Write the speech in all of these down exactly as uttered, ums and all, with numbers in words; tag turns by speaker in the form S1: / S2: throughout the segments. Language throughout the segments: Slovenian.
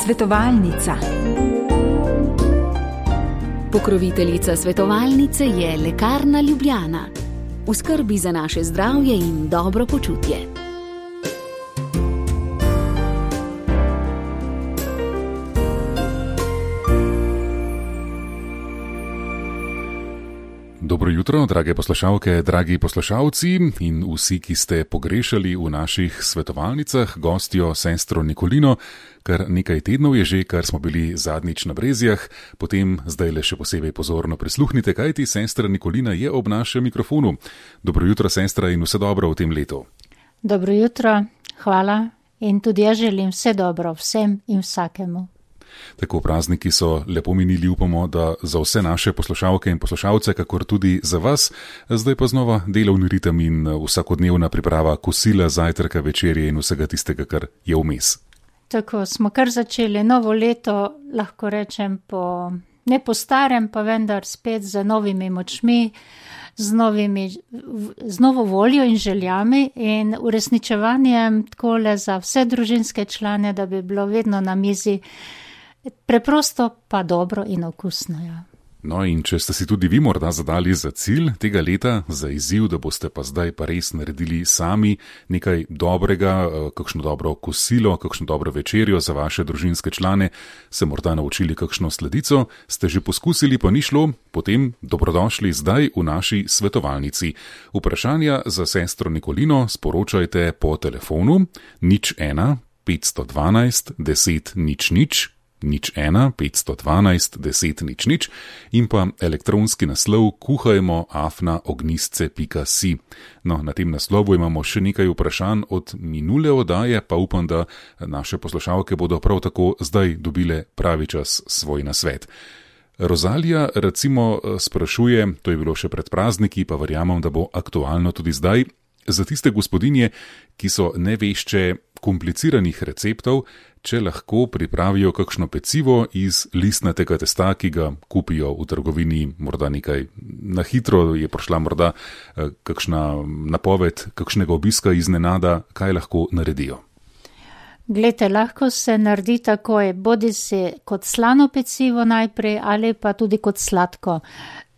S1: Svetovalnica.
S2: Pokroviteljica svetovalnice je Lekarna Ljubljana. V skrbi za naše zdravje in dobro počutje.
S3: Dobro jutro, drage poslušalke, dragi poslušalci in vsi, ki ste pogrešali v naših svetovalnicah gostjo sestro Nikolino. Kar nekaj tednov je že, kar smo bili zadnjič na Brezjah, potem zdaj le še posebej pozorno prisluhnite, kajti sestra Nikolina je ob našem mikrofonu. Dobro jutro, sestra, in vse dobro v tem letu.
S4: Dobro jutro, hvala in tudi jaz želim vse dobro vsem in vsakemu.
S3: Tako prazniki so lepo minili, upamo, da za vse naše poslušalke in poslušalce, kakor tudi za vas. Zdaj pa znova delovni ritem in vsakodnevna priprava kosila, zajtrka, večerje in vsega tistega, kar je vmes.
S4: Tako smo kar začeli novo leto, lahko rečem, po, ne po starem, pa vendar spet z novimi močmi, z, novimi, z novo voljo in željami in uresničevanjem takole za vse družinske člane, da bi bilo vedno na mizi preprosto pa dobro in okusno. Ja.
S3: No in če ste si tudi vi morda zadali za cilj tega leta, za izziv, da boste pa zdaj pa res naredili sami nekaj dobrega, kakšno dobro kosilo, kakšno dobro večerjo za vaše družinske člane, se morda naučili kakšno sladico, ste že poskusili, pa ni šlo, potem dobrodošli zdaj v naši svetovalnici. Vprašanja za sestro Nikolino sporočajte po telefonu nič ena petsto dvanajst deset nič nič, nič ena petsto dvanajst deset nič nič in pa elektronski naslov kuhajmo afna ognistce pika si. No, na tem naslovu imamo še nekaj vprašanj od minule oddaje, pa upam, da naše poslušalke bodo prav tako zdaj dobile pravi čas svoj nasvet. Rozalija recimo sprašuje, to je bilo še pred prazniki, pa verjamem, da bo aktualno tudi zdaj, za tiste gospodinje, ki so nevešče kompliciranih receptov, če lahko pripravijo kakšno pecivo iz listnatega testa, ki ga kupijo v trgovini, morda nekaj na hitro, je prišla morda kakšna napoved, kakšnega obiska iznenada, kaj lahko naredijo.
S4: Glejte, lahko se naredi takoj, bodi si kot slano pecivo najprej ali pa tudi kot sladko.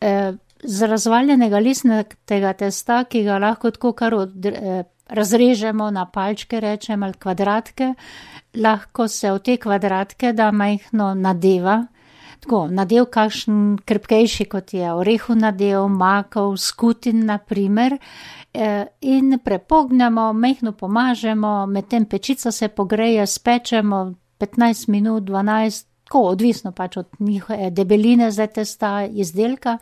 S4: E, z razvaljenega listnatega testa, ki ga lahko tako kar od, e, razrežemo na palčke, rečem, ali kvadratke, lahko se v te kvadratke da majhno nadeva, tako nadev kakšen krepkejši, kot je orehu nadev, makov, skutin naprimer, in prepognemo, majhno pomažemo, medtem pečica se pogreje, spečemo petnajst minut, dvanajst, tako odvisno pač od njihove debeline za testa izdelka.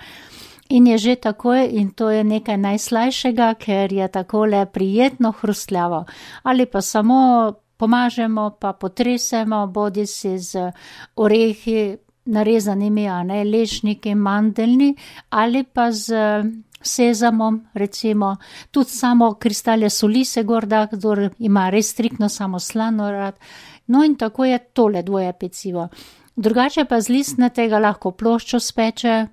S4: In je že takoj, in to je nekaj najslajšega, ker je takole prijetno hrustljavo. Ali pa samo pomažemo, pa potresemo, bodi si z orehi narezanimi, a ne, lešniki, mandeljni, ali pa z sezamom, recimo, tudi samo kristalje soli se gorda, kdor ima res striktno samo slano rad. No in tako je tole dvoje pecivo. Drugače pa z listnatega lahko ploščo speče,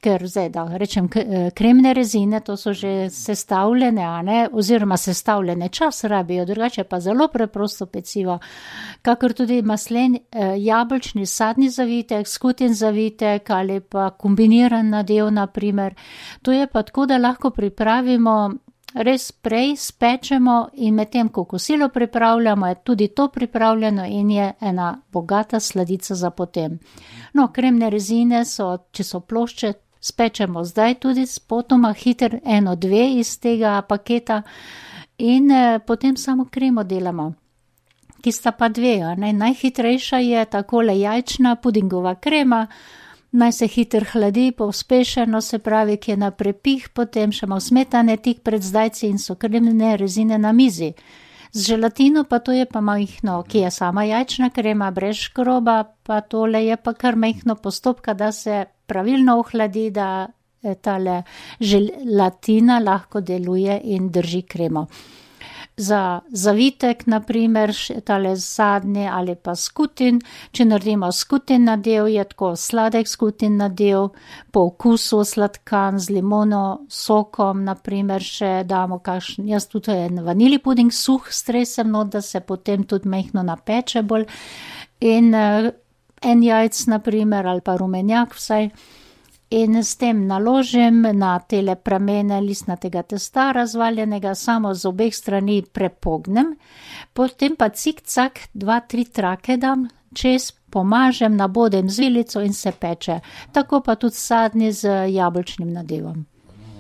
S4: ker zdaj, da rečem, kremne rezine, to so že sestavljene, a ne, oziroma sestavljene čas rabijo, drugače pa zelo preprosto pecivo, kakor tudi maslen, jabolčni sadni zavitek, skutin zavitek ali pa kombiniran nadev, naprimer. To je pa tako, da lahko pripravimo res prej, spečemo in medtem, ko kosilo pripravljamo, je tudi to pripravljeno in je ena bogata sladica za potem. No, kremne rezine so, če so plošče, spečemo zdaj tudi spotoma hiter eno, dve iz tega paketa in eh, potem samo kremo delamo, ki sta pa dve. Ne? Najhitrejša je takole jajčna pudingova krema, naj se hiter hladi, pospešeno se pravi, ki je na prepih, potem še malo smetane tik pred zdajci in so kremne rezine na mizi. Z želatino pa to je pa majhno, ki je sama jajčna krema, brez škroba, pa tole je pa kar majhno postopka, da se pravilno ohladi, da tale želatina lahko deluje in drži kremo. Za zavitek, naprimer, tale zadnji ali pa skutin, če naredimo skutin nadev, je tako sladek skutin nadev, po okusu sladkan z limono, sokom, naprimer, še damo kakšen, jaz tudi je vanili puding suh stresem, no, da se potem tudi mehno napeče bolj. in uh, en jajc, naprimer, ali pa rumenjak vsaj. In s tem naložim na tele pramene listnatega testa razvaljenega, samo z obeh strani prepognem, potem pa cik-cak dva, tri trake dam čez, pomažem, nabodem z vilico in se peče. Tako pa tudi sadni z jabolčnim nadevom.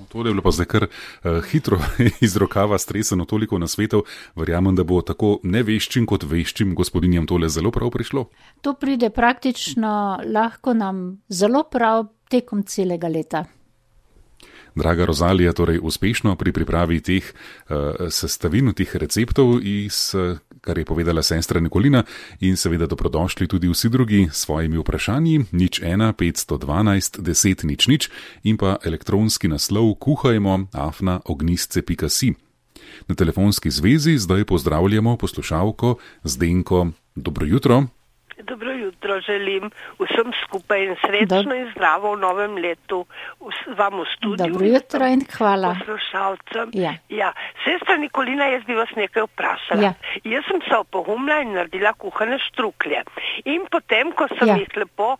S3: To je bilo pa zdaj kar uh, hitro iz rokava streseno toliko nasvetov. Verjamem, da bo tako neveščim kot veščim gospodinjam tole zelo prav prišlo.
S4: To pride praktično lahko nam zelo prav tekom celega leta.
S3: Draga Rozalija, torej uspešno pri pripravi teh uh, sestavin, teh receptov, iz, uh, kar je povedala sestra Nikolina, in seveda dobrodošli tudi vsi drugi s svojimi vprašanji, nič ena, petsto dvanajst, deset, nič nič in pa elektronski naslov kuhajmo afna ognistce pika si. Na telefonski zvezi zdaj pozdravljamo poslušalko Zdenko. Dobro jutro.
S1: Dobro jutro želim vsem skupaj in srečno Dob... in zdravo v novem letu vam v studiu.
S4: Dobro jutro in hvala.
S1: Poslušalcem.
S4: Ja.
S1: Ja. Sestra Nikolina, jaz bi vas nekaj vprašala.
S4: Ja.
S1: Jaz sem se opogumila in naredila kuhane štruklje. In potem, ko sem ja. jih lepo uh,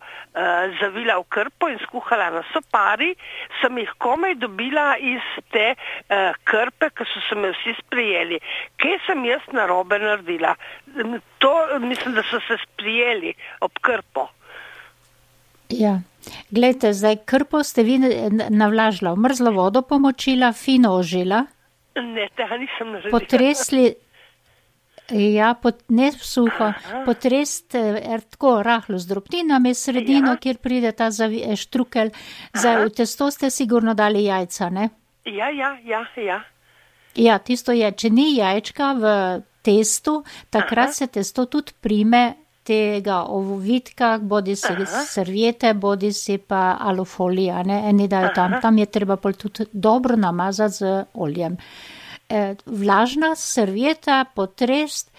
S1: zavila v krpo in skuhala na sopari, sem jih komaj dobila iz te uh, krpe, ki so se me vsi sprijeli. Kaj sem jaz narobe naredila? To mislim, da so se sprijeli ob krpo.
S4: Ja, glejte, zdaj krpo ste vi navlažila, v mrzlo vodo pomočila, fino ožila.
S1: Ne, tega nisem naredila.
S4: Potresli, ja, pot, ne suho, potrest er, tako rahlo z drobtinami sredino, ja. Kjer pride ta zavi, štrukelj. Zdaj, v testo ste sigurno dali jajca, ne?
S1: Ja, ja, ja, ja.
S4: Ja, tisto je, če ni jajčka v testu, takrat Aha. se testo tudi prime tega ovitka, bodi si Aha. serviete, bodi si pa alufolija, ne, eni dajo tam, tam je treba pol tudi dobro namazati z oljem. E, vlažna servieta, potrest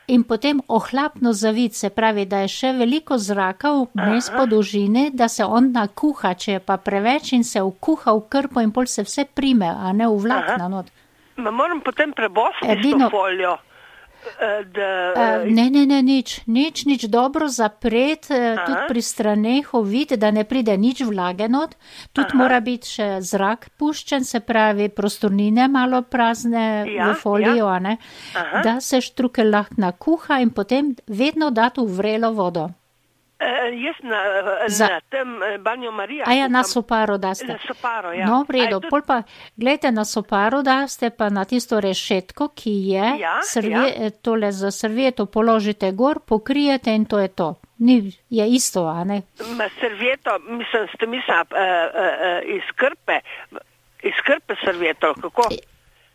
S4: in potem ohlapno zavit, se pravi, da je še veliko zraka vmes po dolžini, da se on nakuha, če je pa preveč in se vkuha v krpo in pol se vse prime, a ne v vlakna not.
S1: Ma moram potem prebosti Edino... to foljo. Da,
S4: uh, ne, ne, ne, nič, nič, nič dobro zapret, uh, tudi pri straneh ovid, da ne pride nič vlage not, tudi Aha. mora biti še zrak puščen, se pravi prostornine malo prazne ja, v folijo, ja. ne, da se štrukelj lahko nakuha in potem vedno dati v vrelo vodo.
S1: Uh, jaz na,
S4: Za...
S1: na tem banjo Marija.
S4: A ja, na soparo daste.
S1: Na soparo, ja.
S4: No, v redu,
S1: tudi...
S4: pol pa, gledajte, na soparo daste pa na tisto rešetko, ki je,
S1: ja,
S4: servie,
S1: ja.
S4: tole za servieto položite gor, pokrijete in to je to. Ni, je isto, a ne?
S1: Ma servieto, mislim, ste mislila uh, uh, uh, iz krpe, iz krpe servieto, kako?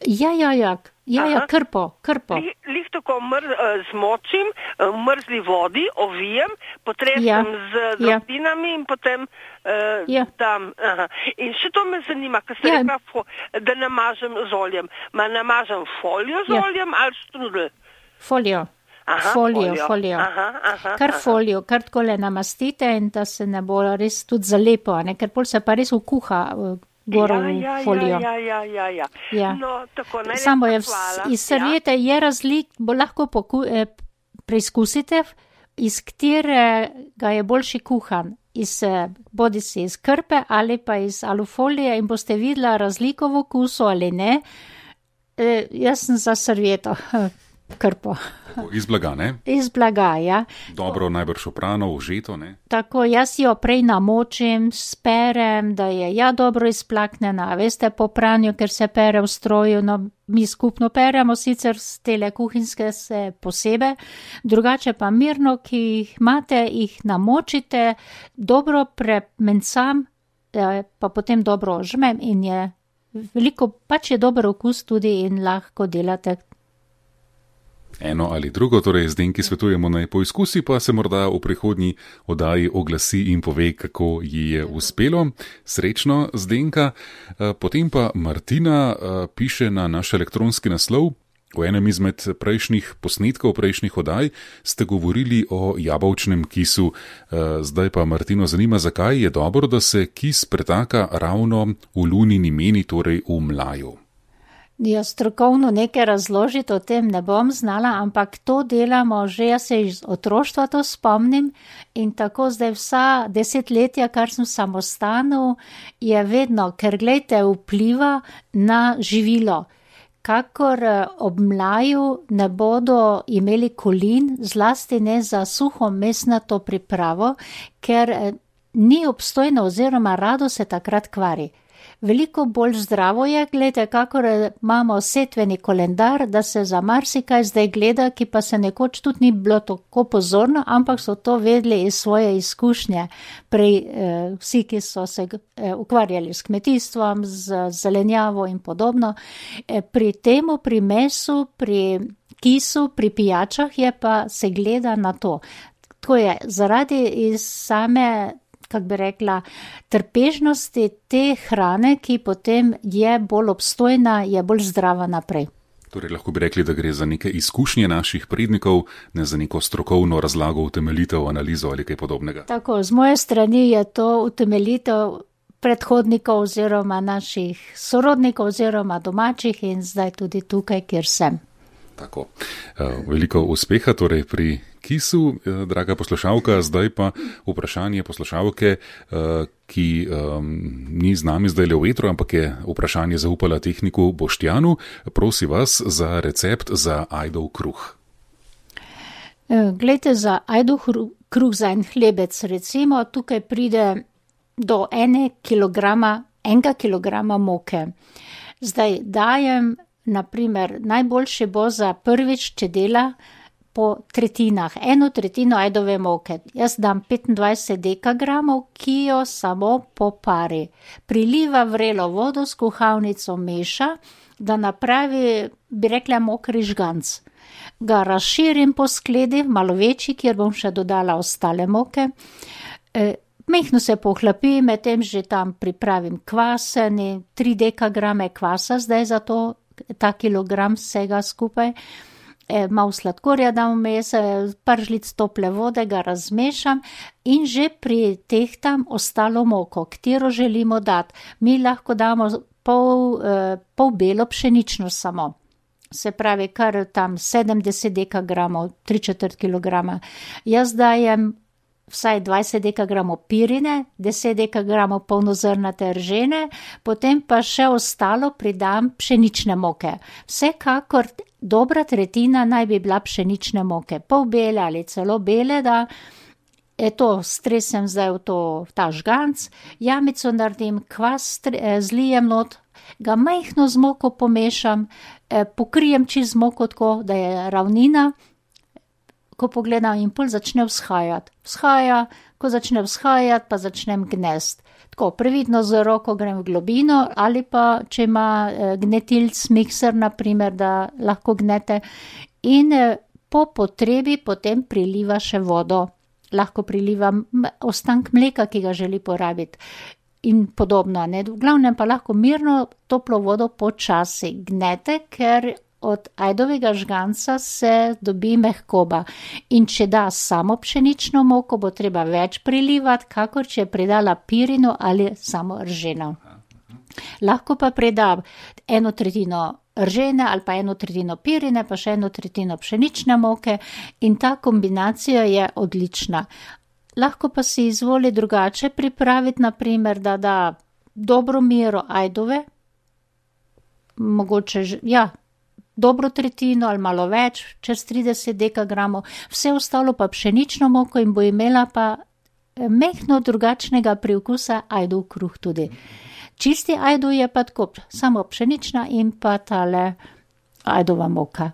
S4: Ja, ja, ja, ja, ja, krpo, krpo.
S1: Lih, lih tako mr, uh, zmočim, v mrzli vodi, ovijem, potresem
S4: ja.
S1: z drobtinami ja. in potem uh,
S4: ja.
S1: dam. Aha. In še to me zanima, ker ste ja. rekla, da namažem z oljem. Ma namažem folijo z ja. oljem ali štrudel?
S4: Folijo.
S1: Aha,
S4: folijo,
S1: folijo.
S4: folijo.
S1: Aha, aha,
S4: kar
S1: aha.
S4: folijo, kar takole namastite in da se ne bo res tudi zalepo, ne? Ker pol se pa res vkuha gor v
S1: ja,
S4: folijo.
S1: Ja, ja, ja, ja.
S4: ja.
S1: No, tako,
S4: Samo je iz serviete ja. je razlik, bo lahko poku, eh, preizkusite, iz katerega je boljši kuhan. Iz, bodi si iz krpe ali pa iz alufolije in boste videla razliko v okusu ali ne. E, jaz sem za servieto. Krpo.
S3: Iz blaga, ne?
S4: Iz blaga, ja.
S3: Dobro, najbrž oprano, užeto, ne?
S4: Tako, jaz jo prej namočim, sperem, da je ja dobro izplaknjena, veste, po pranju, ker se pere v stroju, no, mi skupno peremo, sicer z tele kuhinske se posebe, drugače pa mirno, ki jih imate, jih namočite, dobro premencam, pa potem dobro ožmem in je veliko, pač je dober okus tudi in lahko delate.
S3: Eno ali drugo, torej Zdenki svetujemo naj poizkusi, pa se morda v prihodnji oddaji oglasi in pove, kako ji je uspelo. Srečno, Zdenka. Potem pa Martina piše na naš elektronski naslov. V enem izmed prejšnjih posnetkov, prejšnjih oddaj ste govorili o jabolčnem kisu. Zdaj pa Martino zanima, zakaj je dobro, da se kis pretaka ravno v lunini meni, torej v mlaju.
S4: Ja, strokovno nekaj razložiti o tem ne bom znala, ampak to delamo že, jaz se iz otroštva to spomnim in tako zdaj vsa desetletja, kar sem v samostanu, je vedno, ker glejte, vpliva na živilo. Kakor ob mlaju ne bodo imeli kolin, zlasti ne za suho mesnato pripravo, ker ni obstojno oziroma rado se takrat kvari. Veliko bolj zdravo je, gledajte, kakor imamo setveni kalendar, da se za marsikaj zdaj gleda, ki pa se nekoč tudi ni bilo tako pozorno, ampak so to vedeli iz svoje izkušnje. Prej eh, vsi, ki so se eh, ukvarjali s kmetijstvom, z zelenjavo in podobno. Eh, pri temu, pri mesu, pri kisu, pri pijačah je pa se gleda na to. Tako je, zaradi iz same, kako bi rekla, trpežnosti te hrane, ki potem je bolj obstojna, je bolj zdrava naprej.
S3: Torej lahko bi rekli, da gre za neke izkušnje naših prednikov, ne za neko strokovno razlago, utemeljitev, analizo ali kaj podobnega.
S4: Tako, z moje strani je to utemeljitev predhodnikov oziroma naših sorodnikov oziroma domačih in zdaj tudi tukaj, kjer sem.
S3: Tako, veliko uspeha torej pri kisu, draga poslušalka. Zdaj pa vprašanje poslušalke, ki ni z nami zdaj le v etru, ampak je vprašanje zaupala tehniku Boštjanu. Prosi vas za recept za ajdov kruh.
S4: Glejte, za ajdov kruh, za en hlebec, recimo, tukaj pride do ene kilograma, enega kilograma moke. Zdaj dajem, naprimer, najboljše bo za prvič, če dela po tretjinah, eno tretjino ajdove moke. Jaz dam petindvajset dekagramov, ki jo samo popari. Priliva vrelo vodo s kuhalnico, meša, da napravi, bi rekla, mokri žganc. Ga razširim po skledi, malo večji, kjer bom še dodala ostale moke. E, mehno se pohlapi, medtem že tam pripravim kvaseni, tri dekagrame kvasa zdaj za to, ta kilogram vsega skupaj. E, malo sladkorja dam vmes, par žlic tople vode, ga razmešam in že pritehtam ostalo moko, katero želimo dati. Mi lahko damo pol, eh, pol belo pšenično samo. Se pravi, kar tam sedemdeset dekagramov, tri četrt kilograma. Jaz dajem vsaj dvajset dekagramov pirine, deset dekagramov polnozrnate ržene, potem pa še ostalo pridam pšenične moke. Vsekakor dobra tretjina naj bi bila pšenične moke, pol bele ali celo bele, da je to stresem zdaj v to, v ta žganc, jamico naredim, kvas zlijem not, ga majhno z moko pomešam, pokrijem čist z moko tako, da je ravnina. Ko pogledam in pol začne vzhajati. Vzhaja, ko začne vzhajati, pa začnem gnest. Tako, previdno z roko grem v globino ali pa, če ima gnetilc, mikser, naprimer, da lahko gnete. In po potrebi potem priliva še vodo. Lahko priliva ostank mleka, ki ga želi porabiti. In podobno, ne? V glavnem pa lahko mirno toplo vodo počasi gnete, ker od ajdovega žganca se dobi mehkoba. In če da samo pšenično moko, bo treba več prilivati, kakor če je pridala pirino ali samo rženo. Lahko pa prida eno tretjino ržene ali pa eno tretjino pirine, pa še eno tretjino pšenične moke in ta kombinacija je odlična. Lahko pa si izvoli drugače pripraviti, naprimer, da da dobro mero ajdove, mogoče, ja, dobro tretjino ali malo več, čez trideset dekagramov, vse ostalo pa pšenično moko in bo imela pa mehno drugačnega priokusa ajdov kruh tudi. Čisti ajdov je pa tako, samo pšenična in pa tale ajdova moka.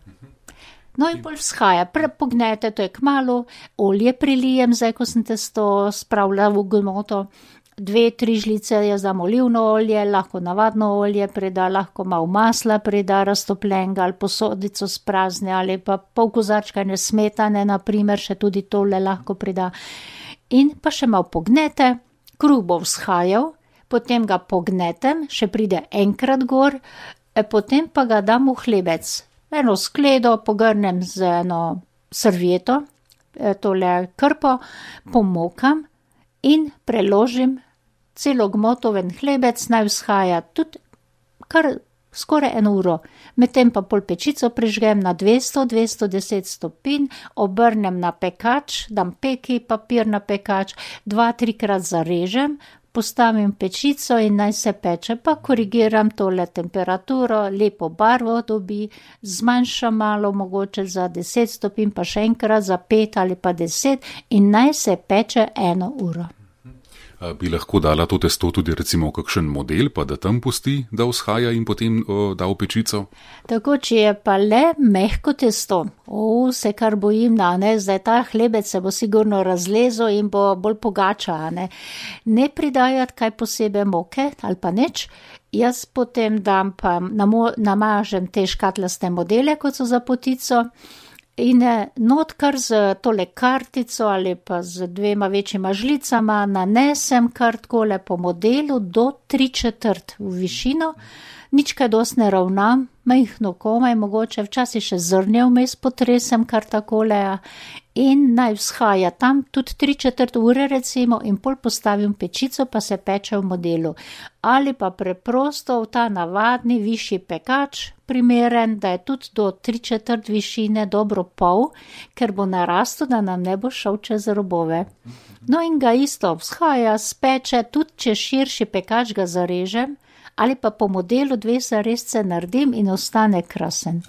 S4: No in bolj vzhaja, pognete, to je kmalu, olje prilijem, zdaj ko sem testo spravila v gmoto, dve, tri žlice, jaz dam olivno olje, lahko navadno olje prida, lahko malo masla prida, raztopljenega ali posodico sprazne ali pa pol kozarčka smetane, naprimer, še tudi tole lahko prida. In pa še malo pognete, kruh bo vzhajal, potem ga pognetem, še pride enkrat gor, potem pa ga dam v hlebec. Eno skledo pogrnem z eno servieto, tole krpo, pomokam in preložim celo gmotoven hlebec, naj vzhaja tudi kar skoraj eno uro. Medtem pa pol pečico prižgem na dvesto do dvesto deset stopinj, obrnem na pekač, dam peki papir na pekač, dva, trikrat zarežem, postavim pečico in naj se peče, pa korigiram tole temperaturo, lepo barvo dobi, zmanjšam malo mogoče za deset stopinj, pa še enkrat za pet ali pa deset in naj se peče eno uro.
S3: Bi lahko dala to testo tudi recimo v kakšen model, pa da tam pusti, da vzhaja in potem o, da v pečico?
S4: Tako, če je pa le mehko testo, o, se kar bojim, da ne, zdaj ta hlebec se bo sigurno razlezel in bo bolj pogača, ne. Ne pridajati kaj posebej moke ali pa nič, jaz potem dam pa namo, namažem te škatlaste modele, kot so za potico, in not kar z tole kartico ali pa z dvema večjima žlicama nanesem kar takole po modelu do tri četrt v višino, nič kaj dosti ne ravnam, majhno komaj, mogoče včasih še zrnje vmes potresem kar takole in naj vzhaja tam tudi tri četrt ure recimo in pol postavim pečico, pa se peče v modelu. Ali pa preprosto v ta navadni višji pekač, primeren, da je tudi do tri četrt višine dobro pol, ker bo narastel, da nam ne bo šel čez robove. No in ga isto vzhaja, speče, tudi če širši pekač ga zarežem, ali pa po modelu dve zarezce naredim in ostane krasen.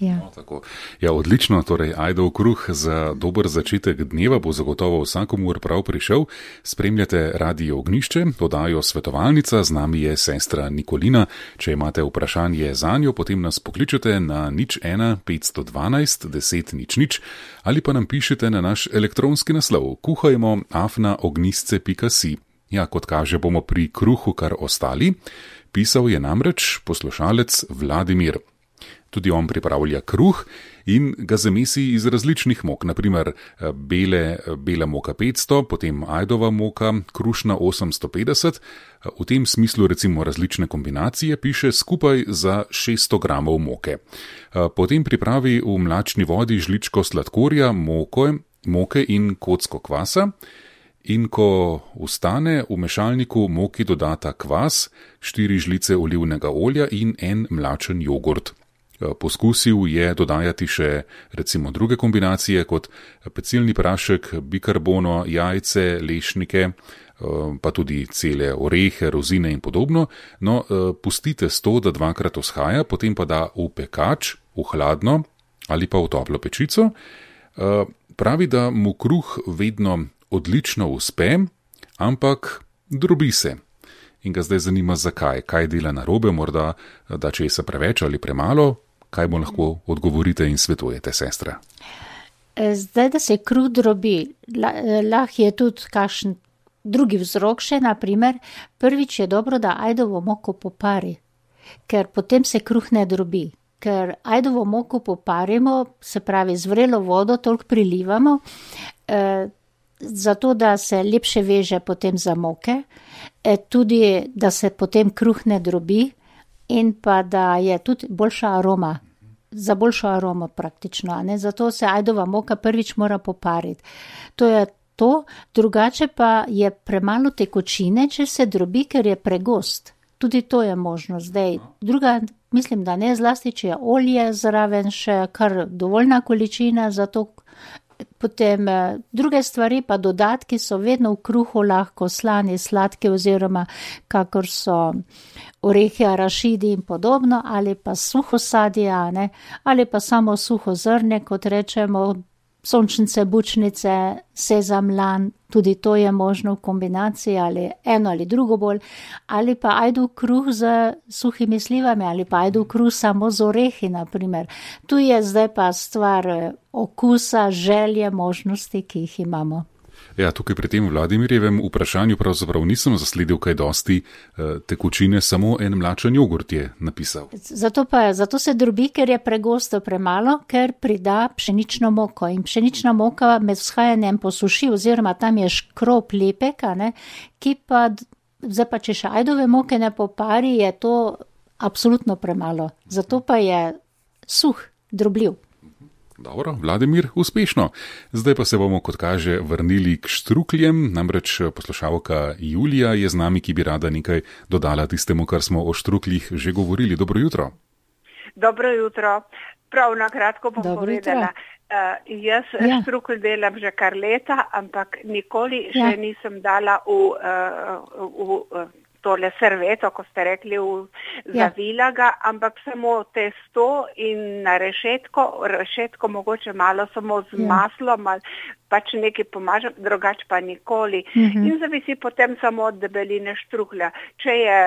S4: Ja.
S3: No, tako. Ja, odlično, torej ajdov kruh za dober začetek dneva bo zagotovo vsakomur prav prišel. Spremljate Radio Ognjišče, oddajo Svetovalnica, z nami je sestra Nikolina. Če imate vprašanje zanjo, potem nas pokličete na nič ena petsto dvanajst deset nič nič ali pa nam pišete na naš elektronski naslov kuhajmo afna ognjisce pika si. Ja, kot kaže, bomo pri kruhu kar ostali. Pisal je namreč poslušalec Vladimir. Tudi on pripravlja kruh in ga zamesi iz različnih mok, naprimer bele, bela moka petsto, potem ajdova moka, krušna osemsto petdeset, v tem smislu recimo različne kombinacije piše skupaj za šeststo gramov moke. Potem pripravi v mlačni vodi žličko sladkorja, moko, moke in kocko kvasa. In ko ustane, v mešalniku moki dodata kvas, štiri žlice olivnega olja in en mlačen jogurt. Poskusil je dodajati še recimo druge kombinacije kot pecilni prašek, bikarbono, jajce, lešnike, pa tudi cele orehe, rozine in podobno. No, pustite sto, da dvakrat vzhaja, potem pa da v pekač, v hladno ali pa v toplo pečico. Pravi, da mu kruh vedno odlično uspe, ampak drobi se. In ga zdaj zanima, zakaj, kaj dela narobe, morda da česa preveč ali premalo. Kaj mu lahko odgovorite in svetujete, sestra?
S4: Zdaj, da se kruh drobi, lahko je tudi kakšen drugi vzrok še, naprimer, prvič je dobro, da ajdovo moko popari, ker potem se kruh ne drobi. Ker ajdovo moko poparimo, se pravi z vrelo vodo toliko prilivamo, eh, zato da se lepše veže potem za moke, eh, tudi da se potem kruh ne drobi, in pa da je tudi boljša aroma, za boljšo aromo praktično, ne? Zato se ajdova moka prvič mora popariti. To je to, drugače pa je premalo tekočine, če se drobi, ker je pregost. Tudi to je možno zdaj. Druga, mislim, da ne, zlasti, če je olje zraven še kar dovoljna količina, zato potem druge stvari pa dodatki so vedno v kruhu lahko slani, sladki oziroma kakor so orehi, arašidi in podobno, ali pa suho sadje, ne, ali pa samo suho zrne, kot rečemo, sončnice, bučnice, sezam, lan, tudi to je možno v kombinaciji ali eno ali drugo bolj, ali pa ajdov kruh z suhimi slivami, ali pa ajdov kruh samo z orehi, naprimer. Tu je zdaj pa stvar okusa, želje, možnosti, ki jih imamo.
S3: Ja, tukaj pri tem Vladimirjevem vprašanju pravzaprav nisem zasledil kaj dosti tekočine, samo en mlačen jogurt je napisal.
S4: Zato pa, zato se drobi, ker je pregosto premalo, ker prida pšenično moko in pšenična moka med vzhajanjem posuši oziroma tam je škrop lepek, ne, ki pa, zdaj pa če še ajdove moke ne popari, je to absolutno premalo. Zato pa je suh, drobljiv.
S3: Dobro, Vladimir, uspešno. Zdaj pa se bomo, kot kaže, vrnili k štrukljem. Namreč poslušalka Julija je z nami, ki bi rada nekaj dodala tistemu, kar smo o štruklih že govorili. Dobro jutro.
S5: Dobro jutro. Prav na kratko bom
S4: Dobro
S5: povedala. Uh, jaz ja. štrukelj delam že kar leta, ampak nikoli ja. še nisem dala v, uh, v, v tole serveto, ko ste rekli, v zavila ga, ampak samo testo in na rešetko, rešetko mogoče malo samo z ja. maslom, pač nekaj pomažem, drugače pa nikoli. Uh-huh. In zavisi potem samo od debeline štruklja. Če je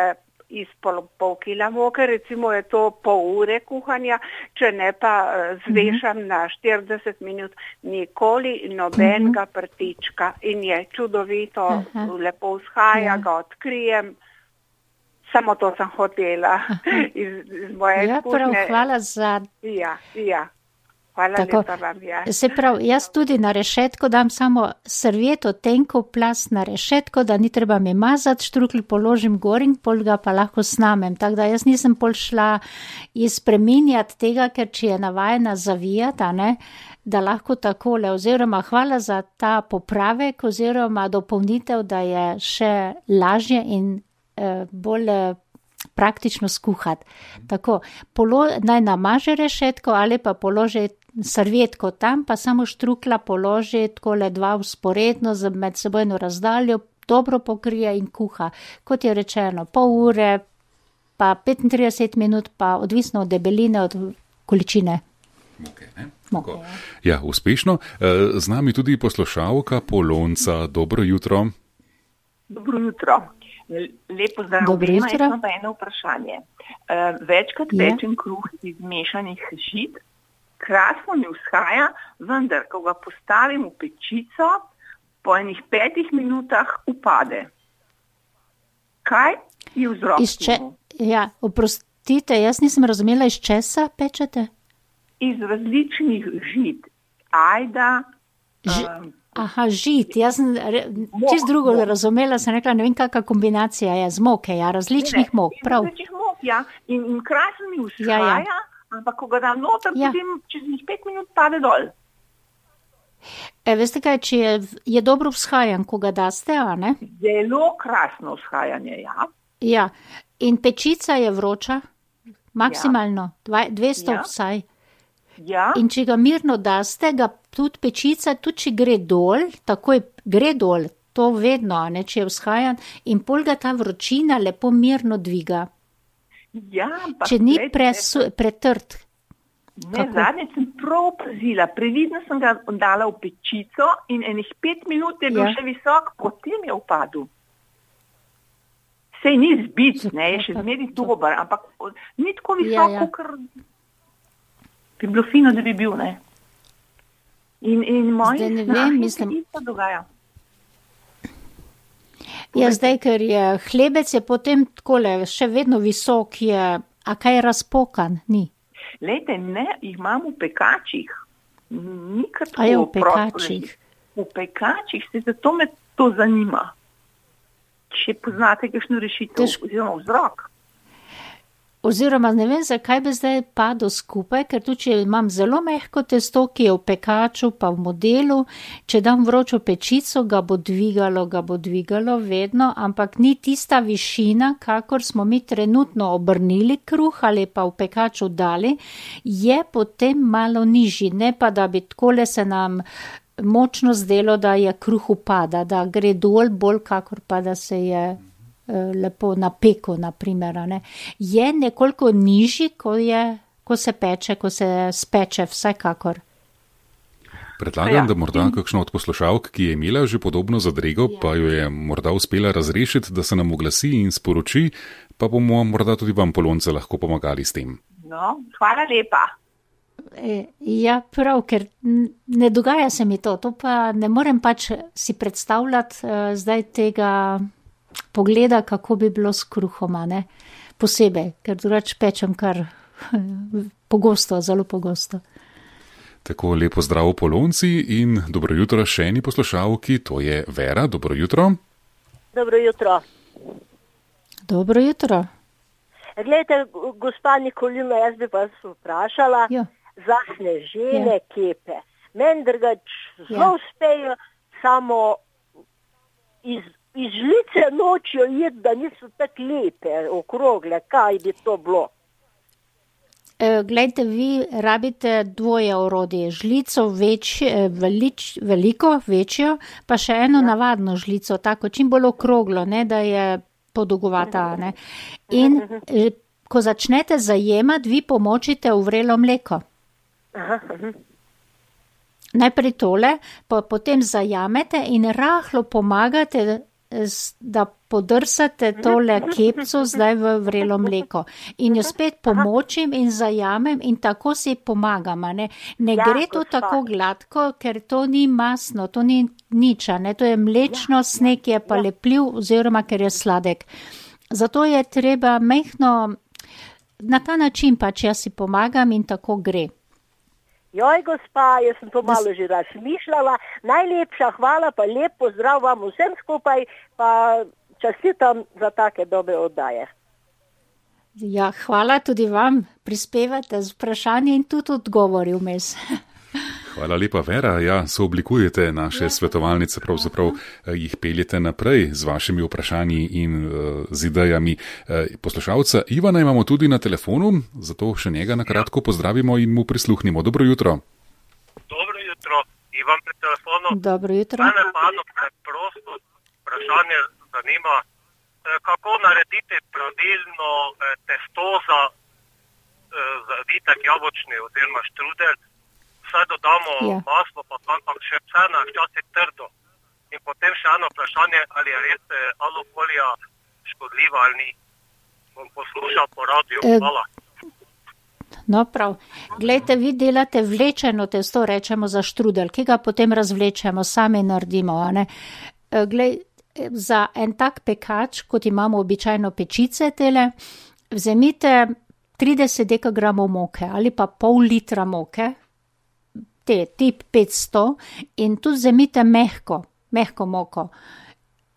S5: iz pol, pol kila moke, recimo je to pol ure kuhanja, če ne pa zvešam uh-huh. na štirideset minut, nikoli nobenega uh-huh. prtička in je čudovito, uh-huh. lepo vzhaja, uh-huh. ga odkrijem. Samo to sem hotela iz, iz moje
S4: ja,
S5: izkušnje.
S4: Prav, hvala za...
S5: Ja, ja. Hvala
S4: Tako,
S5: lepa vam, ja.
S4: Se pravi, jaz tudi na rešetko dam samo servieto, tenko plast na rešetko, da ni treba mi mazati, štrukelj položim gor in pol ga pa lahko snamem. Tako da jaz nisem pol šla izpreminjati tega, ker če je navajena zavijati, ne, da lahko takole, oziroma hvala za ta popravek, oziroma dopolnitev, da je še lažje in bolj praktično skuhati. Tako, polo, naj namaže rešetko ali pa položi servietko tam, pa samo štrukla položi takole dva vzporedno z med sebojno razdaljo, dobro pokrije in kuha. Kot je rečeno, pol ure, pa petintrideset minut, pa odvisno od debeline, od količine.
S3: Okay, ne? Moke, ja, uspešno. Z nami tudi poslušalka Polonca. Dobro jutro.
S6: Dobro jutro. Lepo zdrav, obema, jaz imam pa eno vprašanje. Uh, večkrat
S4: je.
S6: pečem kruh iz mešanih žit, krasno mi vzhaja, vendar, ko ga postavim v pečico, po enih petih minutah upade. Kaj je vzrok?
S4: Če, ja, oprostite, jaz nisem razumela, iz česa pečete?
S6: Iz različnih žit. Ajda...
S4: Ž- um, Aha, žit, jaz sem čist drugo mok. razumela, sem rekla, ne vem, kakva kombinacija je z moke, ja, različnih ne, mok, prav.
S6: Različnih mok, ja, in, in krasno mi vzhaja,
S4: ja, ja.
S6: ampak ko ga dam noter,
S4: ja.
S6: potem čez njih pet minut pade dol.
S4: E, veste kaj, če je, je dobro vzhajan, ko ga daste, a ne?
S6: Zelo krasno vzhajanje, ja.
S4: Ja, in pečica je vroča, maksimalno, ja. dvesto ja. vsaj.
S6: Ja.
S4: In če ga mirno daste, ga tudi pečica, tudi če gre dol, takoj gre dol, to vedno, ne, če je vzhajan, in pol ga ta vročina lepo mirno dviga.
S6: Ja, ampak...
S4: Če ni presu, pretrd.
S6: Ne, zadnje sem prav pazila, previdno sem ga dala v pečico in enih pet minut je bil ja. še visok, potem je upadel. Sej ni zbit, ne, je še zmeri dober, ampak ni tako visoko, ja, ja. ker... bi bilo fino, da bi bil, ne. In, in moji snahi se isto dogaja.
S4: Ja, zdaj, ker je hlebec, je potem takole, še vedno visok je, a kaj je razpokan, ni?
S6: Lejte, ne, jih imam v pekačih. Ni kar tako.
S4: A je v pekačih?
S6: V pekačih, se zato me to zanima. Če poznate kakšno rešitev, Tež... oziroma vzrok.
S4: Oziroma, ne vem, zakaj bi zdaj padel skupaj, ker tudi, če imam zelo mehko testo, ki je v pekaču, pa v modelu, če dam vročo pečico, ga bo dvigalo, ga bo dvigalo vedno, ampak ni tista višina, kakor smo mi trenutno obrnili kruh ali pa v pekaču dali, je potem malo nižji, ne pa da bi takole se nam močno zdelo, da je kruh upada, da gre dol bolj, kakor pa da se je... lepo na peku, na primer, ne. Je nekoliko nižji, ko, je, ko se peče, ko se speče, vsekakor.
S3: Predlagam, ja. da morda kakšno od poslušalk, ki je imela že podobno zadrego, ja. pa jo je morda uspela razrešiti, da se nam oglasi in sporoči, pa bomo morda tudi vam, Polonce, lahko pomagali s tem.
S6: No, hvala lepa.
S4: Ja, prav, ker ne dogaja se mi to, to pa ne morem pač si predstavljati uh, zdaj tega pogleda, kako bi bilo s kruhoma, ne, posebej, ker drugače pečem kar pogosto, zelo pogosto.
S3: Tako, lepo zdrav Polonci in dobro jutro še eni poslušalki, to je Vera, dobro jutro.
S7: Dobro jutro.
S4: Dobro jutro.
S7: Glejte, gospa Nikolina, jaz bi vas vprašala,
S4: jo.
S7: za snežene ja. kepe. Meni drugač zelo
S4: Ja.
S7: uspejo, samo iz, iz žlice nočijo jeti, da niso tako lepe, okrogle, kaj bi to bilo.
S4: E, glejte, vi rabite dvoje orodje. Žlico več, e, velič, veliko, večjo, pa še eno ja. navadno žlico, tako čim bolj okroglo, ne, da je podolgovata. Ne. In e, ko začnete zajemati, vi pomočite v vrelo mleko.
S7: Aha, aha.
S4: Najprej tole, pa potem zajamete in rahlo pomagate, s- da podrsate tole kepco zdaj v vrelo mleko. In jo spet pomočim in zajamem in tako si pomagam. a Ne, ne
S7: Ja,
S4: gre to
S7: gospa.
S4: tako gladko, ker to ni masno, to ni nič, a ne, to je mlečno, sneg je pa lepljiv oziroma ker je sladek. Zato je treba mehno, na ta način pač jaz si pomagam in tako gre.
S7: Joj, gospa, jaz sem to malo že razmišljala. Najlepša hvala, pa lep pozdrav vam vsem skupaj, pa čestitam za take dobre oddaje.
S4: Ja, hvala tudi vam, prispevate z vprašanje in tudi odgovori vmes.
S3: Hvala lepa, Vera. Ja, sooblikujete naše svetovalnice, pravzaprav eh, jih peljete naprej z vašimi vprašanji in uh, z idejami. Eh, poslušalca Ivana imamo tudi na telefonu, zato še njega na kratko pozdravimo in mu prisluhnimo. Dobro jutro.
S8: Dobro jutro, Ivan pri telefonu.
S4: Dobro jutro.
S8: Mene pa eno preprosto vprašanje zanima, eh, kako narediti pravilno eh, testo za eh, zavitek jabolčni oziroma štrudel. Vse dodamo
S4: Ja.
S8: maslo, pa ampak še vseeno je včasih trdo. In potem še eno vprašanje, ali je res eh, alufolija škodljiva ali ni. Bom poslušal po radiju.
S4: Eh,
S8: Hvala.
S4: No, prav. Glejte, vi delate vlečeno testo, rečemo za štrudel, ki ga potem razvlečemo, sami naredimo. A ne? E, Glej, e, za en tak pekač, kot imamo običajno pečice tele, vzemite trideset dekagramov moke ali pa pol litra moke, te tip petsto, in tudi vzemite mehko, mehko moko.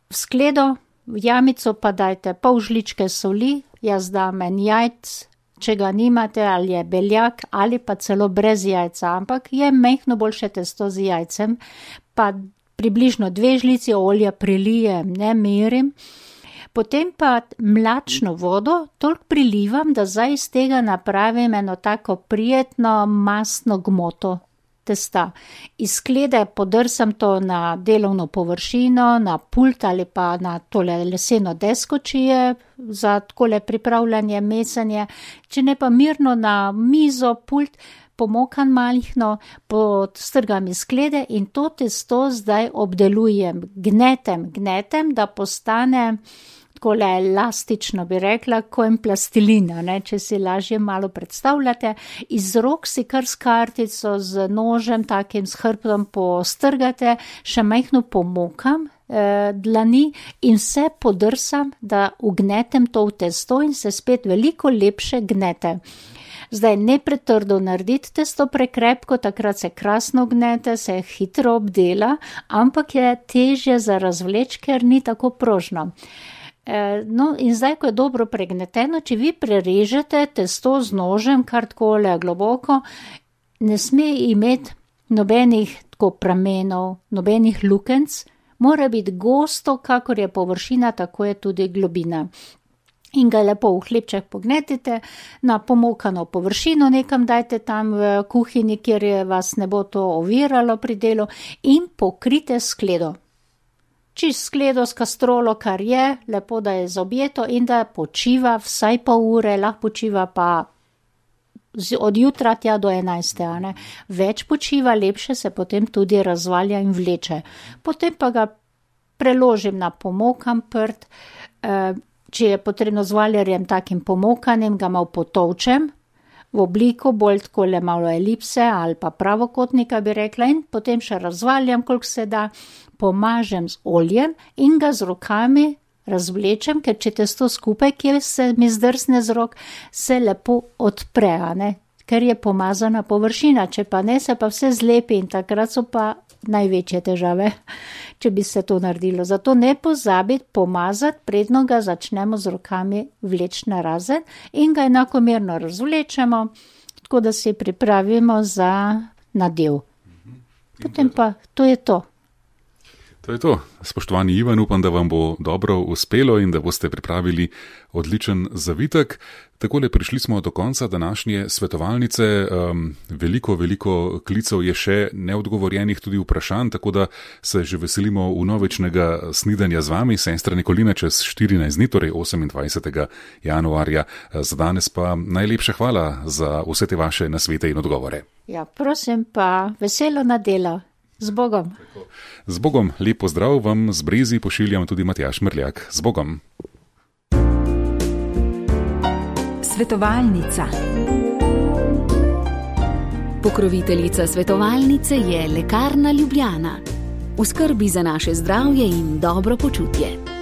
S4: V skledo, v jamico pa dajte pol žličke soli, jaz dam en jajc, če ga nimate, ali je beljak, ali pa celo brez jajca, ampak je mehno boljše testo z jajcem, pa približno dve žlici olja prelijem, ne merim, potem pa mlačno vodo toliko prilivam, da zdaj iz tega napravim eno tako prijetno masno gmoto testa. Iz sklede podrsam to na delovno površino, na pult ali pa na tole leseno desko, če je za takole pripravljanje, mesanje, če ne pa mirno na mizo, pult, pomokan malihno, podstrgam iz sklede in to testo zdaj obdelujem, gnetem, gnetem, da postane takole elastično, bi rekla, ko en plastilina, ne, če si lažje malo predstavljate. Iz rok si kar s kartico, z nožem, takim s hrbtom postrgate, še majhno pomokam eh, dlani in vse podrsam, da ugnetem to v testo in se spet veliko lepše gnete. Zdaj, ne pretrdo narediti testo prekrepko, takrat se krasno gnete, se hitro obdela, ampak je težje za razvleč, ker ni tako prožno. No, in zdaj, ko je dobro pregneteno, če vi prerežete testo z nožem, kar takole globoko, ne sme imeti nobenih tako pramenov, nobenih lukenc, mora biti gosto, kakor je površina, tako je tudi globina. In ga lepo v hlebček pognetite, na pomokano površino nekam dajte tam v kuhinji, kjer je vas ne bo to oviralo pri delu, in pokrite skledo. Čist skledo s kastrolo, kar je, lepo, da je zaobjeto in da počiva vsaj pol ure, lahko počiva pa od jutra tja do enajste, a ne. Več počiva, lepše se potem tudi razvalja in vleče. Potem pa ga preložim na pomokan prt, če je potrebno z valjarjem takim pomokanim, ga malo potovčem v obliko bolj takole malo elipse ali pa pravokotnika, bi rekla, in potem še razvaljam, koliko se da, pomažem z oljem in ga z rokami razvlečem, ker če testo skupaj, kjer se mi zdrsne z rok, se lepo odpre, a ne, ker je pomazana površina, če pa ne, se pa vse zlepi in takrat so pa največje težave, če bi se to naredilo. Zato ne pozabiti pomazati, predno ga začnemo z rokami vleči narazen in ga enakomerno razvlečemo, tako da se pripravimo za nadev. Potem pa to je to.
S3: To je to. Spoštovani Ivan, upam, da vam bo dobro uspelo in da boste pripravili odličen zavitek. Takole prišli smo do konca današnje svetovalnice. Um, veliko, veliko klicev je še neodgovorjenih, tudi vprašanj, tako da se že veselimo vnovičnega snidanja z vami, sestra Nikolina, čez štirinajst dni, torej osemindvajsetega januarja. Za danes pa najlepša hvala za vse te vaše nasvete in odgovore.
S4: Ja, prosim pa, veselo nedelo. Z Bogom.
S3: Z Bogom, lep pozdrav vam z Brezi pošiljam tudi Matjaž Mrljak. Z Bogom.
S2: Svetovalnica. Pokroviteljica svetovalnice je Lekarna Ljubljana. V skrbi za naše zdravje in dobro počutje.